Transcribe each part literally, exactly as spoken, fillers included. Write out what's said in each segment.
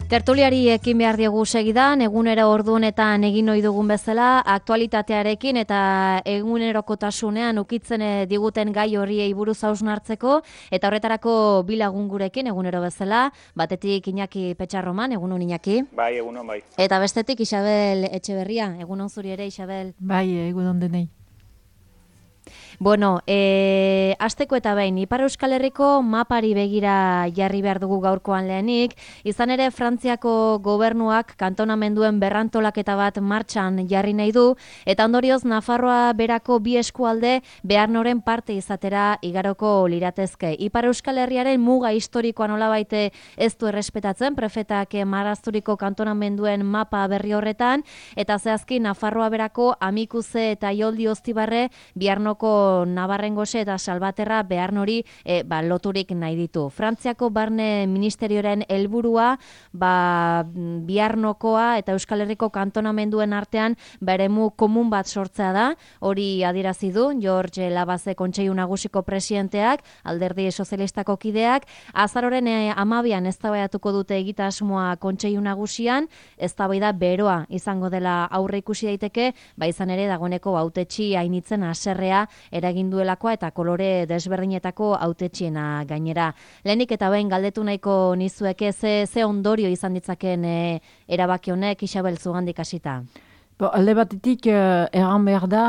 Tertuliari ekin behar diogu segidan, egunero ordunetan egin ohi dugun bezala, aktualitatearekin eta egunerokotasunean ukitzen diguten gai horiei buruz hausnartzeko, eta horretarako bi lagun gurekin egunero bezala, batetik Iñaki Petxarroman, egunon Iñaki. Bai, egunon bai. Eta bestetik Isabel Etxeberria, egunon zuri ere Isabel. Bai, egunon denei. Bueno, e, asteko eta behin, Ipar Euskal Herriko mapari begira jarri behar dugu gaurkoan lehenik, izan ere Frantziako gobernuak kantonamenduen berrantolaketa bat martxan jarri nahi du, eta ondorioz Nafarroa berako bi eskualde behar noren parte izatera igaroko liratezke. Ipar Euskal Herriaren muga historikoa nolabait ez du errespetatzen, prefetak marrazturiko kantonamenduen mapa berri horretan, eta zehazki Nafarroa berako Amikuze eta Ioldi Oztibarre biharnoko Nabarrengose eta Salbaterra behar nori e, ba, loturik nahi ditu. Frantziako barne ministerioaren helburua ba, biharnokoa eta Euskal Herriko kantonamenduen artean beremu komun bat sortzea da, hori adierazi du George Labaze Kontseilu Nagusiko presidenteak, Alderdi Sozialistako kideak, azaroren e, amabian eztabaidatuko dute egitasmoa Kontseilu Nagusian, eztabaida beroa izango dela aurre ikusi daiteke, ba izan ere dagoeneko hautetsi hainitzen haserrea eragin duelakoa eta kolore desberdinetako hautetsiena gainera. Lehenik eta behin galdetu nahiko nizueke ze, ze ondorio izan ditzaken e, erabaki honek Isabel zugandik hasita. Bo, alde batetik uh, erran behar da,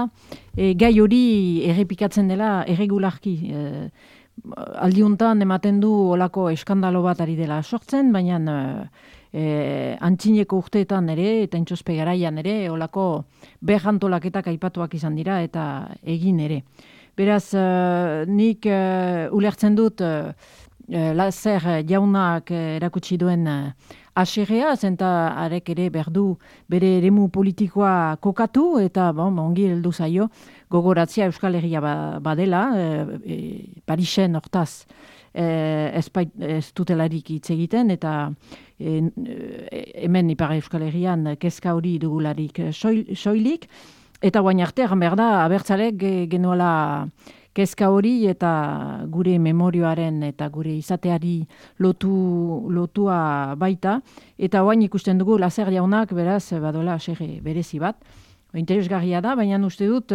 e, gai hori errepikatzen dela erregularki. E, aldiuntan ematen du olako eskandalo bat ari dela sortzen, baina uh, e, antzineko urteetan ere eta intxospe garaian ere olako berrantolaketak aipatuak izan dira eta egin ere. Beraz, uh, nik uh, ulertzen dut uh, Lazer jaunak uh, erakutsi duen uh, aserrea, zenta arek ere berdu bere eremu politikoa kokatu eta bon, ongi heldu zaio gogoratzea Euskal Herria ba, badela, e, e, Parisen hortaz e, ez, bait, ez dutelarik hitz egiten eta e, e, hemen Ipar Euskal Herrian kezka hori dugularik soil, soilik, eta guain arte egan behar da abertzalek genuela kezka hori eta gure memorioaren eta gure izateari lotu, lotua baita. Eta oain ikusten dugu Lazer jaunak beraz badola aserre berezi bat. Interesgarria da, baina uste dut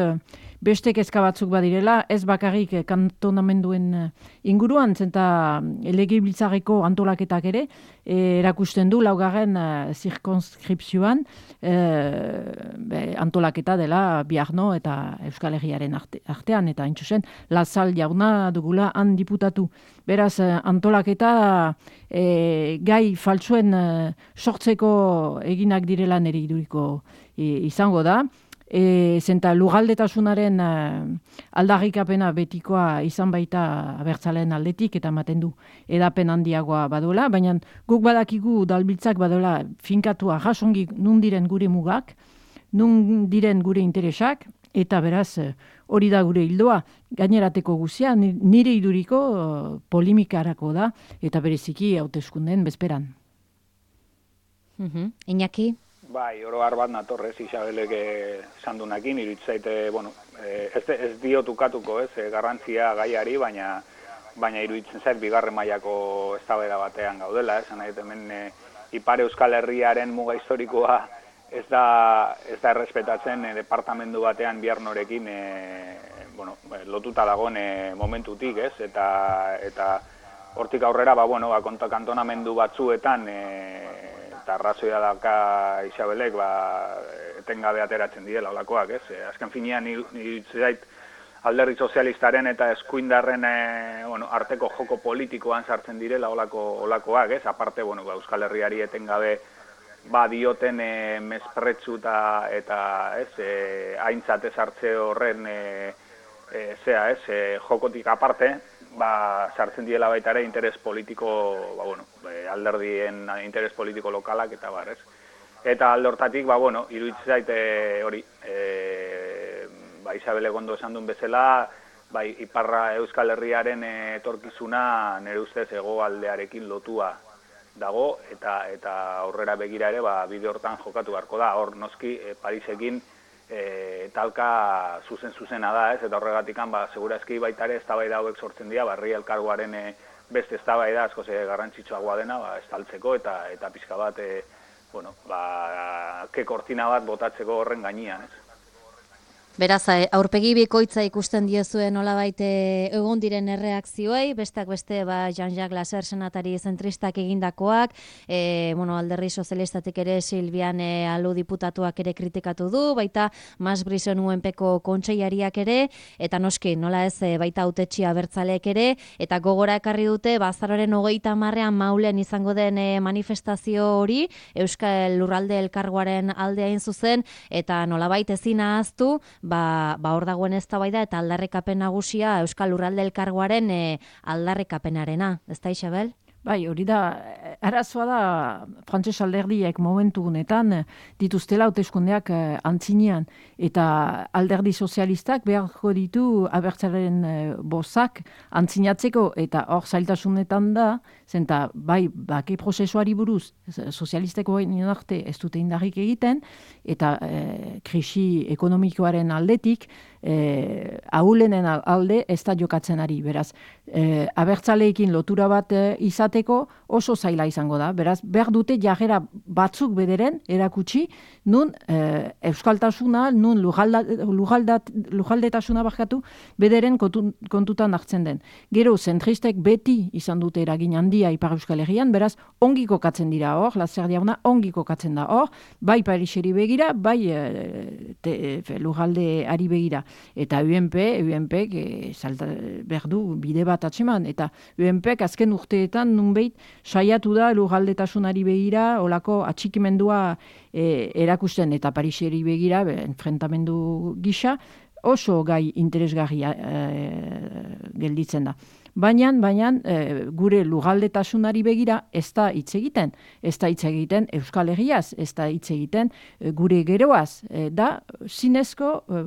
beste kezka batzuk badirela, ez bakarrik kantonamenduen inguruan, zenta legebiltzarreko antolaketak ere, e, erakusten du laugarren uh, zirkonskripzioan e, antolaketa dela Biarno eta Euskal Herriaren arte, artean, eta intzuzen, Lazal jauna dugula han diputatu. Beraz, antolaketa e, gai faltsuen uh, sortzeko eginak direla nire iduriko e, izango da. E, zenta lugaldetasunaren uh, aldarrikapena betikoa izan baita abertzaleen aldetik eta ematen du edapen handiagoa badola, baina guk badakigu dalbiltzak badola finkatua jasongi nun diren gure mugak, nun diren gure interesak, eta beraz hori da gure hildoa, gainerateko guzia, nire iduriko uh, polimikarako da, eta bereziki hauteskundeen bezperan. Uh-huh. Iñaki? Bai, oro har bat natorrez Isabelek esan duenakin, iruditzait, bueno, ez, ez diot ukatuko, ez, garrantzia gaiari, baina baina iruditzen zait bigarren mailako eztabaida batean gaudela, esan nahi hemen e, Ipar Euskal Herriaren muga historikoa ez da ez da errespetatzen e, departamendu batean Biarnorekin e, bueno, lotuta dagoen e, momentutik, ez, eta eta hortik aurrera ba bueno, ba konta kantonamendu batzuetan e, eta arrazoia daka Isabelek ba, etengabe ateratzen direla olakoak, ez? E, azken finean iruditzen Alderdi Sozialistaren eta eskuindarren e, bueno, arteko joko politikoan sartzen direla olako olakoak, ez? Aparte, bueno, ba, Euskal Herriari etengabe ba dioten e, mespretsu eta eta, ez, e, aintzat ez hartze horren e, e, zea, ez, e, jokotik aparte, ba, sartzen diela baita ere interes politiko, ba, bueno, alderdien interes politiko lokalak eta bar, ez? Eta alde hortatik, ba, bueno, iruditzen zaite hori, e, ba, Isabel Egondo esan duen bezala, bai, Iparra Euskal Herriaren etorkizuna nire ustez hegoaldearekin lotua dago, eta eta aurrera begira ere, ba, bide hortan jokatu beharko da, hor noski e, Parisekin E, talka zuzen-zuzena da, ez? Eta horregatikan, ba, segurazki baita ere eztabaida hauek sortzen dira, barri elkargoaren e, beste eztabaida askoz garrantzitsuagoa dena, ba, estaltzeko eta eta pixka bat, e, bueno, ba, ke kortina bat botatzeko horren gainean, ez? Beraz, aurpegi bikoitza ikusten diezue nolabait egon diren erreakzioei, besteak beste ba, Jean-Jacques Lasser senatari zentristak egindakoak, e, bueno, alderdi sozialistatik ere Silvian e, Alu diputatuak ere kritikatu du, baita Mas Brison U N Pko kontseilariak ere, eta noski, nola ez e, baita hautetxi abertzaleek ere, eta gogora ekarri dute, bazaroren hogeita hamarrean Maulen izango den e, manifestazio hori, Euskal Lurralde Elkargoaren alde hain zuzen, eta nolabait ezin ahaztu, ba, ba hor dagoen eztabaida eta aldarrikapen nagusia Euskal Lurralde Elkargoaren e, aldarrikapenarena, ezta Isabel? Bai, hori da, arazoa da, frantses alderdiek momentu gunetan dituztela hauteskundeak antzinean, eta alderdi sozialistak beharko ditu abertzaren bozak antzinatzeko, eta hor zailtasunetan da, zenta bai, bake prozesuari buruz, sozialisteko egin arte ez dute indarrik egiten, eta e, krisi ekonomikoaren aldetik, e, ahulenen alde ez da jokatzen ari, beraz, e, abertzaleekin lotura bat e, izateko oso zaila izango da, beraz, behar dute jarrera batzuk bederen erakutsi, nun e, euskaltasuna, nun lujaldetasuna barkatu, bederen kontu, kontutan hartzen den. Gero, zentristek beti izan dute eragin handia Ipar Euskal Herrian, beraz, ongi kokatzen dira hor, Lasser jauna ongi kokatzen da hor, bai Pariseri begira, bai e, te, e, lujaldeari begira. Eta U N P, U N P e, salta, berdu bide bat atseman, eta U N P azken urteetan nunbait saiatu da lujaldetasunari begira, olako atxikimendua e, erakusten, eta Pariseri begira, be, enfrentamendu gisa, oso gai interesgarria e, gelditzen da. Baina, baina e, gure lugaldetasunari begira ez da hitz egiten. Ez da hitz egiten Euskal Herriaz, ez da hitz egiten e, gure geroaz. E, da, zinezko e,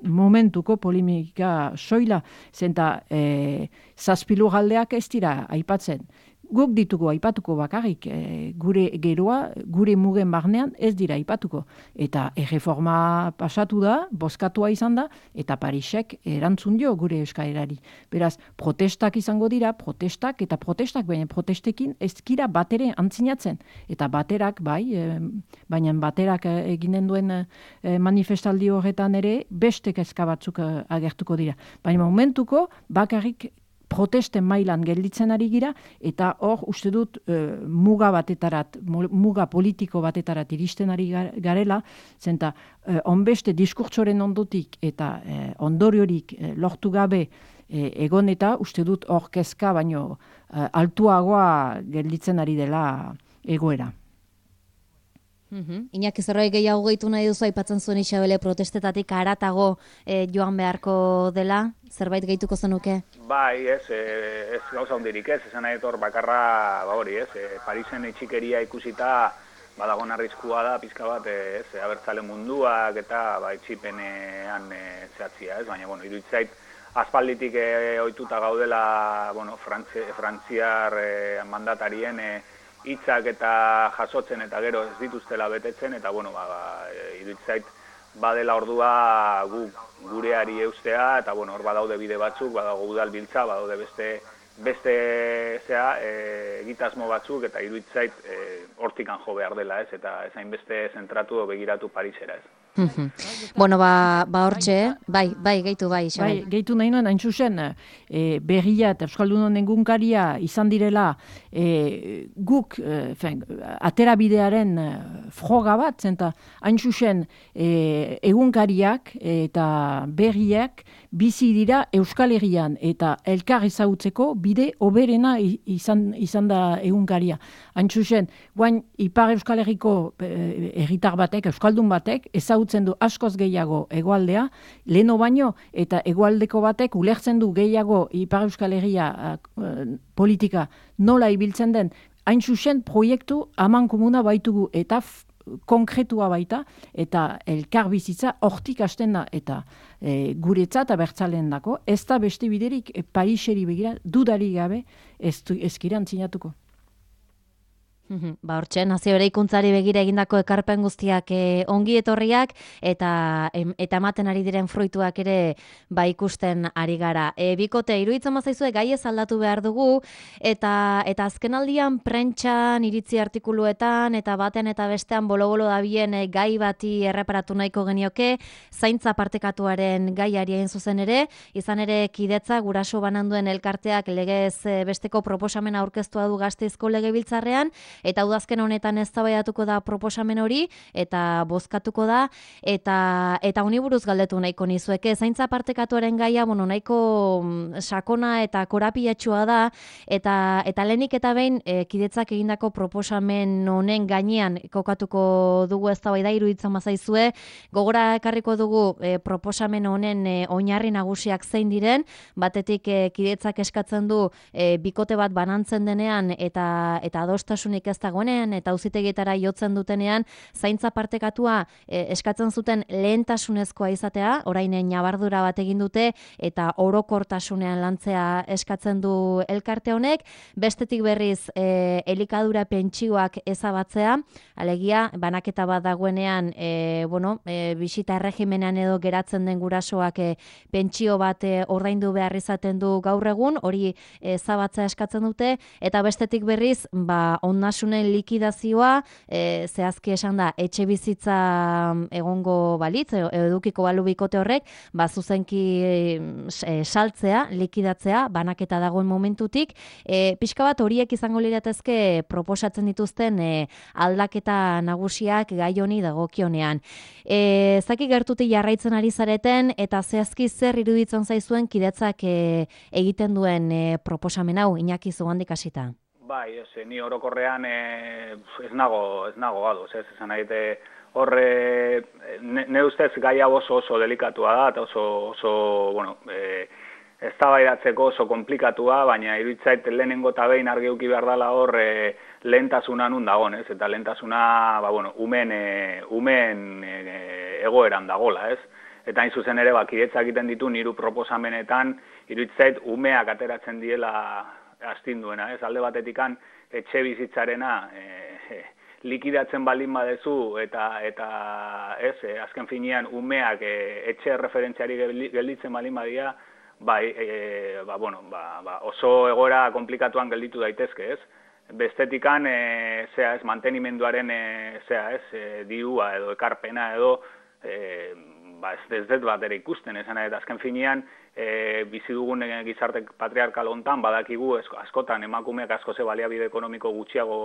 momentuko polemika soila, zenta e, zazpi lugaldeak ez dira aipatzen. Guk ditugu aipatuko bakarrik, e, gure geroa, gure mugen barnean ez dira aipatuko. Eta erreforma pasatu da, bozkatua izan da, eta Parisek erantzun dio gure euskarari. Beraz, protestak izango dira, protestak eta protestak, baina protestekin ez dira batere antzinatzen. Eta baterak, bai, e, baina baterak eginen duen e, manifestaldi horretan ere, beste kezka batzuk e, agertuko dira. Baina momentuko, bakarrik protesten mailan gelditzen ari gira, eta hor uste dut e, muga batetarat, muga politiko batetarat iristen ari garela, zenta e, onbeste diskurtsoren ondotik eta e, ondoriorik e, lortu gabe e, egon eta uste dut hor kezka baino e, altuagoa gelditzen ari dela egoera. Mm-hmm. Iñaki zerbait gehiago gehitu nahi duzu aipatzen zuen Isabele protestetatik haratago e, joan beharko dela, zerbait gehituko zenuke? Bai, ez, e, ez gauza hundirik ez, esan nahi etor bakarra, ba hori ez, e, Parisen etxikeria ikusita badagon arriskua da, pizka bat, ez, abertzale munduak eta ba, etxipenean e, zehatzia, ez, baina, bueno, iruditzait, aspalditik e, ohituta gaudela, bueno, Frantzi, frantziar e, mandatarien e, hitzak eta jasotzen eta gero ez dituztela betetzen, eta bueno, ba, ba, iruditzait badela ordua gu, gureari eustea, eta bueno, hor badaude bide batzuk, badago udalbiltza, badaude beste beste zea, e, egitasmo batzuk, eta iruditzait e, hortikan jo behar dela, ez, eta ezain beste zentratu o begiratu Parisera, ez. Mm-hmm. Bueno, ba, ba hortxe, bai, bai, gehitu bai, Isabel. Bai, gehitu nahi nuen, hain zuzen, e, berria eta Euskaldunon egunkaria izan direla e, guk, e, fen, atera bidearen e, froga bat, zenta hain zuzen e, egunkariak eta berriak bizi dira Euskal Herrian eta elkar ezagutzeko bide oberena izan, izan da egunkaria. Hain zuzen, guain Ipar Euskal Herriko herritar batek, Euskaldun batek, ezagutzen du askoz gehiago hegoaldea, leno baino, eta hegoaldeko batek ulertzen du gehiago Ipar Euskal Herria uh, politika nola ibiltzen den, hain zuzen proiektu aman komuna baitugu eta f- konkretua baita, eta elkar bizitza hortik hasten da, eta e, guretzat abertzaleen dako, ez da beste biderik e, Pariseri begira, dudari gabe ez, ez kiran zinatuko. Ba, hortxe, nazio eraikuntzari begira egindako ekarpen guztiak e, ongi etorriak eta em, eta ematen ari diren fruituak ere ba ikusten ari gara. E, bikote, iruditzen bazaizue gai ez aldatu behar dugu eta eta azkenaldian prentxan iritzi artikuluetan eta baten eta bestean bolo-bolo dabien e, gai bati erreparatu nahiko genioke, zaintza partekatuaren gaiari egin zuzen ere, izan ere Kidetza guraso bananduen elkarteak legez e, besteko proposamena aurkeztua du Gasteizko Legebiltzarrean, eta udazken honetan eztabaidatuko da proposamen hori eta bozkatuko da eta eta honi buruz galdetu nahiko nizueke. Zaintza partekatuaren gaia, bueno, nahiko sakona eta korapilatsua da eta eta lehenik eta behin e, Kidetzak egindako proposamen honen gainean kokatuko dugu eztabaida iruditzen bazaizue. Gogora ekarriko dugu e, proposamen honen e, oinarri nagusiak zein diren. Batetik e, Kidetzak eskatzen du e, bikote bat banantzen denean eta eta adostasunik ez dagoenean eta auzitegietara jotzen dutenean zaintza partekatua e, eskatzen zuten lehentasunezkoa izatea, orain ñabardura bat egin dute eta orokortasunean lantzea eskatzen du elkarte honek, bestetik berriz e, elikadura pentsioak ezabatzea, alegia banaketa bat dagoenean e, bueno, e, bisita erregimenean edo geratzen den gurasoak e, pentsio bat e, ordaindu behar izaten du gaur egun, hori ezabatzea eskatzen dute eta bestetik berriz ba ondasunen likidazioa, e, zehazki esan da, etxe bizitza egongo balitz, edukiko balu bikote horrek, ba zuzenki e, saltzea, likidatzea, banaketa dagoen momentutik, e, pixka bat horiek izango liratezke proposatzen dituzten e, aldaketa nagusiak gai honi dagokionean. E, zaki gertutik jarraitzen ari zareten eta zehazki zer iruditzen zaizuen Kidetzak e, egiten duen e, proposamen hau, Iñaki Zugandik hasita. Bai, ez, ni orokorrean e, ez nago, ez nago ados, ez, esan nahi, horre, ne, ne ustez gai hau oso oso delikatua da, eta oso, oso, bueno, e, eztabaidatzeko oso komplikatua, baina iruditzait lehenengo eta behin argi eduki behar dela hor e, lehentasuna nun dagoen, ez, eta lehentasuna, ba, bueno, umen, e, umen e, egoeran dagola, ez, eta hain zuzen ere, ba, Kidetzak egiten ditu niru proposamenetan, iruditzait umeak ateratzen diela astinduena, ez, alde batetikan etxe bizitzarena e, e, likidatzen baldin badezu eta eta ez, e, azken finean umeak e, etxe referentziari gelditzen baldin badia, bai, e, ba, bueno, ba, ba, oso egoera komplikatuan gelditu daitezke, ez? Bestetikan e, zea, ez, mantenimenduaren e, zea, ez, e, diua edo ekarpena edo e, ba, ez ez dut bat ere ikusten, esan eta azken finean e, bizi dugun gizarte patriarkal hontan badakigu askotan emakumeak asko ze baliabide ekonomiko gutxiago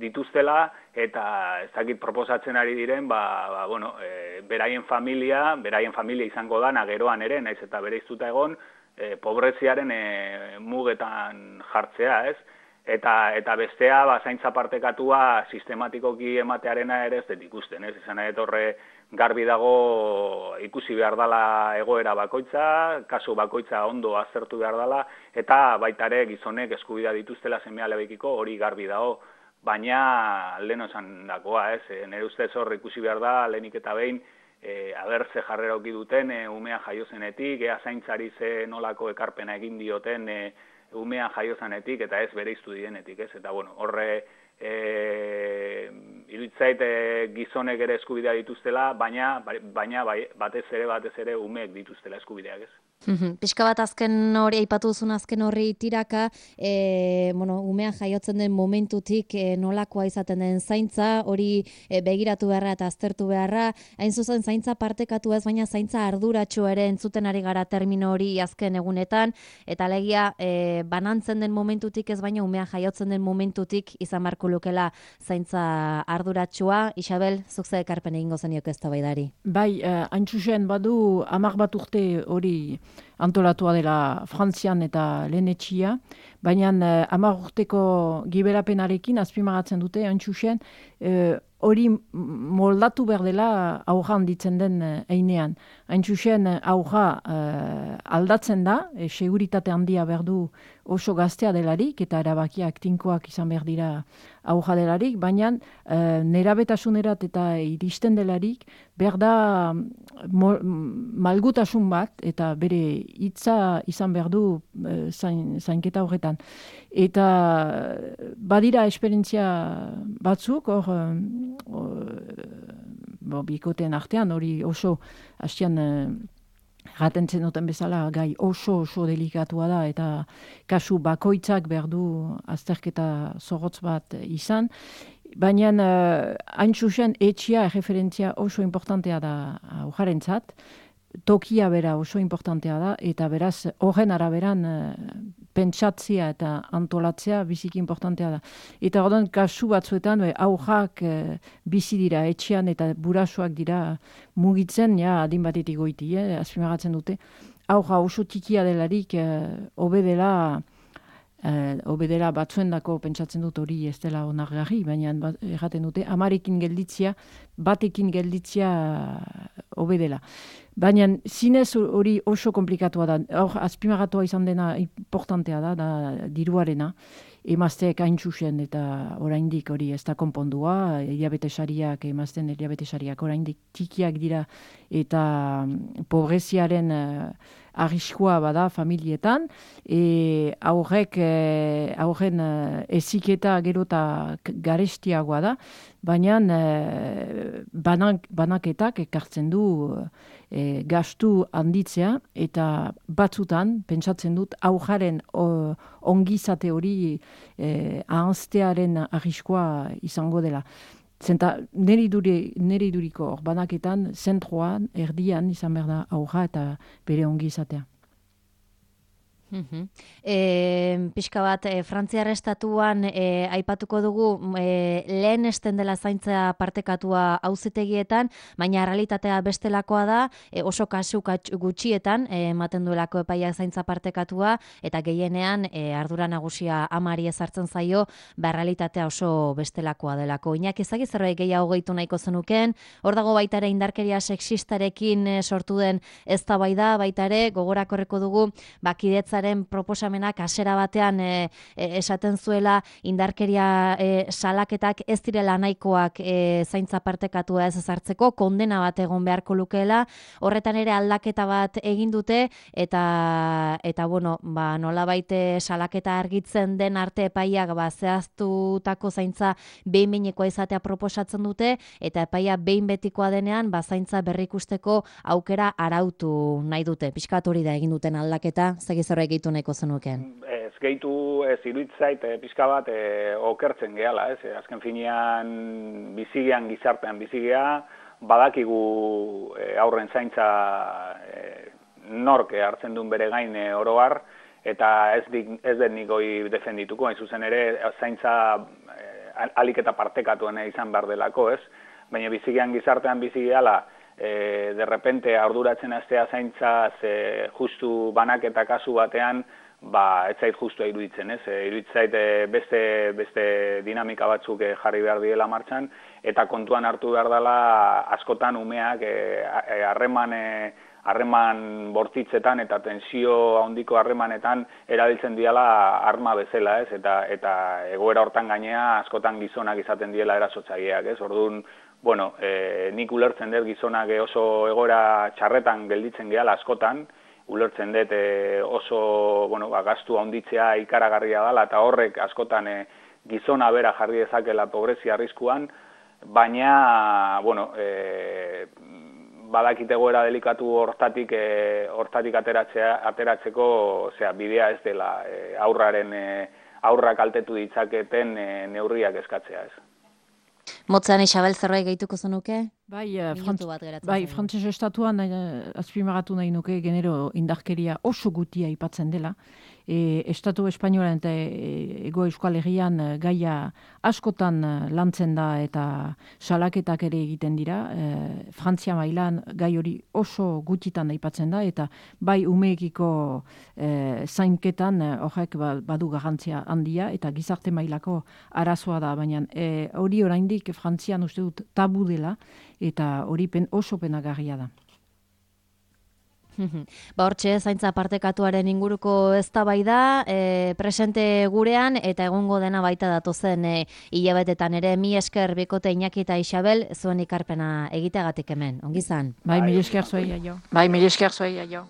dituztela eta ez dakit proposatzen ari diren, ba, ba, bueno, e, beraien familia, beraien familia izango dana geroan ere, naiz eta bereiztuta egon, e, pobreziaren e, mugetan jartzea, ez? Eta, eta bestea, ba, zaintza partekatua sistematikoki ematearena ere ez dut ikusten, ez? Izan nahi horre garbi dago ikusi behar dela egoera bakoitza, kasu bakoitza ondo aztertu behar dela, eta baita ere gizonek eskubidea dituztela seme-alabekiko hori garbi dago, baina lehen esan dakoa, ez? E, nire ustez hor ikusi behar da, lehenik eta behin, e, aber ze jarrera oki duten, e, umea jaiozenetik, ea zaintzari ze nolako ekarpena egin dioten, e, umean jaiozanetik eta ez bereiztu dienetik, ez? Eta, bueno, horre e, iruditzait e, gizonek ere eskubidea dituztela, baina, baina bai, batez ere, batez ere umeek dituztela eskubideak, ez? Pixka bat azken hori, aipatu duzun azken horri tiraka, e, bueno, umean jaiotzen den momentutik e, nolakoa izaten den zaintza, hori e, begiratu beharra eta aztertu beharra, hain zuzen zaintza partekatu ez, baina zaintza arduratsu ere entzuten ari gara termino hori azken egunetan, eta alegia e, banantzen den momentutik ez, baina umean jaiotzen den momentutik izan barko lukela zaintza arduratsua. Isabel, zuk ze ekarpen egingo zenioke eztabaidari? Bai, uh, hain zuzen badu hamar bat urte hori antolatua dela Frantzian eta lehenetxia, baina uh, hamar urteko giberapenarekin azpimagatzen dute, hain zuzen, uh, hori moldatu behar dela aurra handitzen den einean. Hain zuzen aurra uh, aldatzen da, e, seguritate handia behar du oso gaztea delarik, eta erabakiak tinkoak izan behar dira aurra delarik, baina uh, nerabetasunerat eta iristen delarik, behar da mo, malgutasun bat, eta bere hitza izan behar du e, zain, zainketa horretan. Eta badira esperientzia batzuk, hor, bo, bikoteen artean, hori oso hastian gaten zenuten bezala, gai oso oso delikatua da, eta kasu bakoitzak behar du azterketa zorrotz bat izan. Baina uh, hain zuzen etxia referentzia oso importantea da aujarentzat, tokia bera oso importantea da, eta beraz horren araberan uh, pentsatzea eta antolatzea biziki importantea da. Eta orduan kasu batzuetan aujak uh, bizi dira etxean eta burasoak dira mugitzen, ja adin batetik goiti, eh, azpimagatzen dute. Auja oso tikia delarik hobe uh, dela hobe dela batzuendako pentsatzen dut hori ez dela onargarri, baina erraten dute amarekin gelditzia, batekin gelditzia hobe dela. Baina zinez hori oso komplikatua da, hor azpimagatua izan dena importantea da, da diruarena, emazteek hain zuzen eta oraindik hori ez da konpondua, diabetesariak, emazten diabetesariak oraindik tikiak dira eta pobreziaren arriskua bada familietan, e, aurrek, e, aurren eziketa gero eta garestiagoa da, baina e, banak, banaketak ekartzen du e, gastu handitzea, eta batzutan, pentsatzen dut, aujaren o, ongizate hori e, ahaztearen arriskua izango dela. Zenta, neri, duri, neri duriko banaketan, zentroan, erdian, izan behar da auja eta bere ongi izatea. Uhum. E, pixka bat, e, Frantziar estatuan e, aipatuko dugu e, lehen esten dela zaintza partekatua auzitegietan, baina realitatea bestelakoa da, e, oso kasu gutxietan e, ematen duelako epaiak zaintza partekatua, eta gehienean e, ardura nagusia amari ezartzen zaio, ba realitatea oso bestelakoa delako. Iñaki, ezagik zerbait gehiago gehitu nahiko zenuken, hor dago baita ere indarkeria sexistarekin e, sortu den eztabaida, baita ere gogorakorreko dugu bakidetza proposamenak hasiera batean e, e, esaten zuela indarkeria e, salaketak ez direla nahikoak e, zaintza partekatua ez ezartzeko, kondena bat egon beharko lukeela, horretan ere aldaketa bat egin dute, eta eta bueno, ba, nolabait salaketa argitzen den arte epaiak ba, zehaztutako zaintza behin-behinekoa izatea proposatzen dute, eta epaia behin betikoa denean ba, zaintza berrikusteko aukera arautu nahi dute. Pixkat hori da egin duten aldaketa, zegiz horrek gehitu nahiko zenuken. Ez gehitu, ez iruditzait, e, pixka bat e, okertzen gehala, ez? E, azken finean bizigean, gizartean bizigea, badakigu e, aurren zaintza e, nork hartzen duen bere gain e, oroar, eta ez, dik, ez den nik hoi defendituko, hain zuzen ere, zaintza e, alik eta partekatuen izan behar delako, ez? Baina bizigean, gizartean bizigeala, E, de repente arduratzen astea zaintza ze justu banaketa kasu batean, ba ez zait justua iruditzen, ez? E, iruditzait beste beste dinamika batzuk jarri behar diela martxan, eta kontuan hartu behar dela askotan umeak harreman e, harreman bortitzetan eta tensio handiko harremanetan erabiltzen diela arma bezala, ez? Eta eta egoera hortan gainea askotan gizonak izaten diela erasotzaileak, ez? Orduan, bueno, e, nik ulertzen dut gizonak oso egoera txarretan gelditzen gehala askotan, ulertzen dut e, oso, bueno, ba, gastu handitzea ikaragarria dela, eta horrek askotan e, gizona bera jarri dezakela pobrezia arriskuan, baina, bueno, e, badakite egoera delikatu hortatik, e, hortatik ateratzea, ateratzeko, osea, bidea ez dela e, aurraren e, aurrak kaltetu ditzaketen e, neurriak eskatzea, ez. Motzan Isabel zerbait gehituko zenuke? Bai, uh, frantz, bai Frantses estatuan uh, azpimarratu nahi nuke genero indarkeria oso gutia aipatzen dela. E, Estatu Espainolan eta Ego Euskal Herrian uh, gaia askotan uh, lantzen da eta salaketak ere egiten dira. E, Frantzia mailan gai hori oso gutitan aipatzen da, eta bai umeekiko uh, zainketan uh, horrek badu garrantzia handia, eta gizarte mailako arazoa da, baina e, hori oraindik Frantzian uste dut tabu dela, eta hori pen, oso penagarria da. Ba hortxe, zaintza partekatuaren inguruko eztabaida e, presente gurean eta egongo dena baita datozen e, hilabetetan ere. Mi esker bikote Iñaki eta Isabel zuen ikarpena egiteagatik hemen. Ongi zan? Bai, mil esker zuei, aio. Bai, mil esker zuei, aio.